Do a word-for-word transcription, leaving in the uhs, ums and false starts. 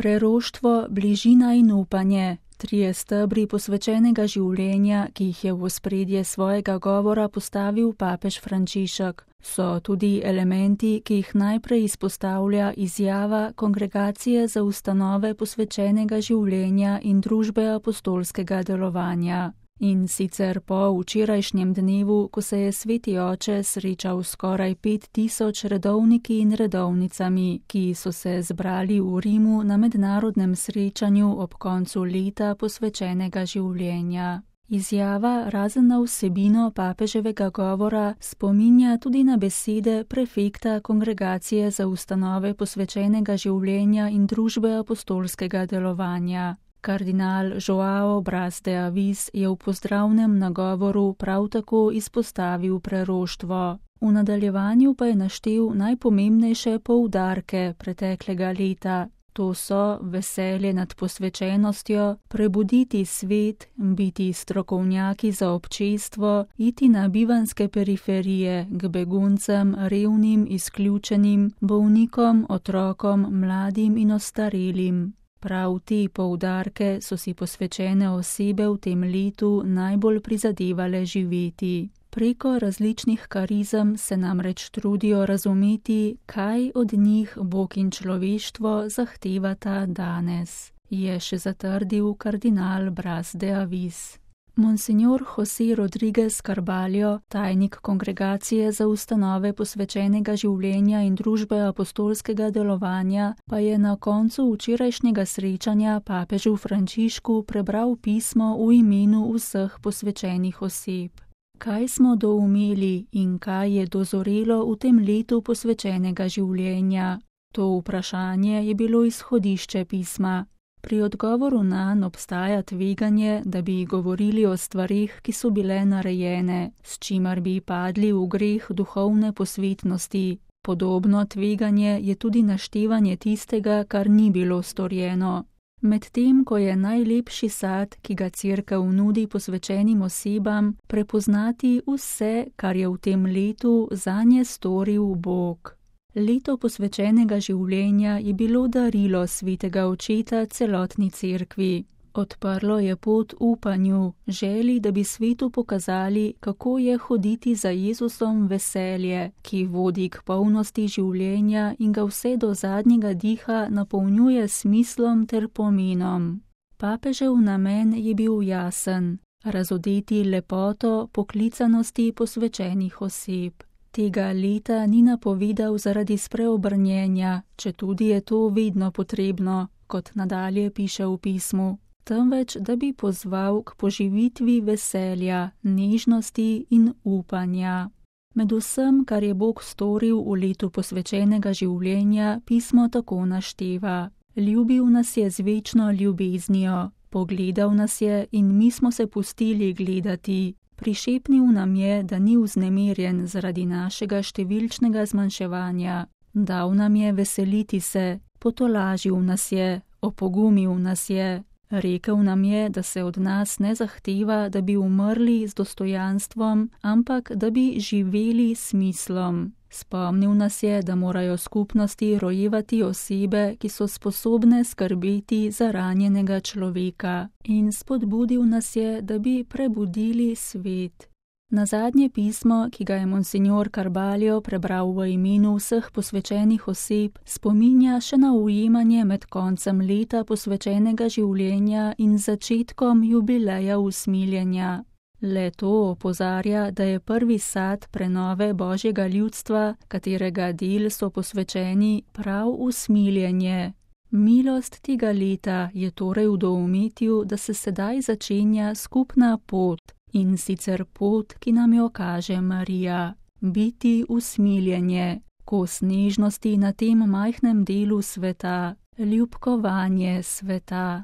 Preroštvo, bližina in upanje, trije stebri posvečenega življenja, ki jih je v ospredje svojega govora postavil papež Frančišek, so tudi elementi, ki jih najprej izpostavlja izjava Kongregacije za ustanove posvečenega življenja in družbe apostolskega delovanja. In sicer po včerajšnjem dnevu, ko se je sveti oče srečal skoraj pet tisoč redovniki in redovnicami, ki so se zbrali v Rimu na mednarodnem srečanju ob koncu leta posvečenega življenja. Izjava, razen na vsebino papeževega govora, spominja tudi na besede prefekta Kongregacije za ustanove posvečenega življenja in družbe apostolskega delovanja. Kardinal Joao Bras de Avis je v pozdravnem nagovoru prav tako izpostavil preroštvo. V nadaljevanju pa je naštel najpomembnejše poudarke preteklega leta. To so veselje nad posvečenostjo, prebuditi svet, biti strokovnjaki za občestvo, iti na bivanske periferije k beguncem, revnim, izključenim, bolnikom, otrokom, mladim in ostarelim. Prav te poudarke so si posvečene osebe v tem letu najbolj prizadevale živeti. Preko različnih karizem se namreč trudijo razumeti, kaj od njih Bog in človeštvo zahtevata danes, je še zatrdil kardinal Bras de Avis. Monsignor José Rodríguez Carballo, tajnik Kongregacije za ustanove posvečenega življenja in družbe apostolskega delovanja, pa je na koncu včerajšnjega srečanja papežu Frančišku prebral pismo v imenu vseh posvečenih oseb. Kaj smo doumeli in kaj je dozorelo v tem letu posvečenega življenja? To vprašanje je bilo izhodišče pisma. Pri odgovoru nanj obstaja tveganje, da bi govorili o stvarih, ki so bile narejene, s čimer bi padli v greh duhovne posvetnosti. Podobno tveganje je tudi naštevanje tistega, kar ni bilo storjeno. Medtem ko je najlepši sad, ki ga Cerkev nudi posvečenim osebam, prepoznati vse, kar je v tem letu zanje storil Bog. Leto posvečenega življenja je bilo darilo svetega očeta celotni cerkvi. Odprlo je pot upanju, želi, da bi svetu pokazali, kako je hoditi za Jezusom veselje, ki vodi k polnosti življenja in ga vse do zadnjega diha napolnjuje smislom ter pomenom. Papežev namen je bil jasen, razodeti lepoto poklicanosti posvečenih oseb. Tega leta ni napovedal zaradi spreobrnjenja, četudi je to vedno potrebno, kot nadalje piše v pismu, temveč da bi pozval k poživitvi veselja, nežnosti in upanja. Med vsem, kar je Bog storil v letu posvečenega življenja, pismo tako našteva. Ljubil nas je z večno ljubeznijo, pogledal nas je in mi smo se pustili gledati. Prišepnil nam je, da ni vznemirjen zaradi našega številčnega zmanjševanja. Dal nam je veseliti se, potolažil nas je, opogumil nas je. Rekel nam je, da se od nas ne zahteva, da bi umrli z dostojanstvom, ampak da bi živeli s smislom. Spomnil nas je, da morajo skupnosti rojevati osebe, ki so sposobne skrbeti za ranjenega človeka. In spodbudil nas je, da bi prebudili svet. Nazadnje pismo, ki ga je monsignor Carballo prebral v imenu vseh posvečenih oseb, spominja še na ujemanje med koncem leta posvečenega življenja in začetkom jubileja usmiljenja. Le to opozarja, da je prvi sad prenove Božjega ljudstva, katerega del so posvečeni, prav usmiljenje. Milost tega leta je torej v doumetju, da se sedaj začenja skupna pot, in sicer pot, ki nam jo kaže Marija. Biti usmiljenje, kos nežnosti na tem majhnem delu sveta, ljubkovanje sveta.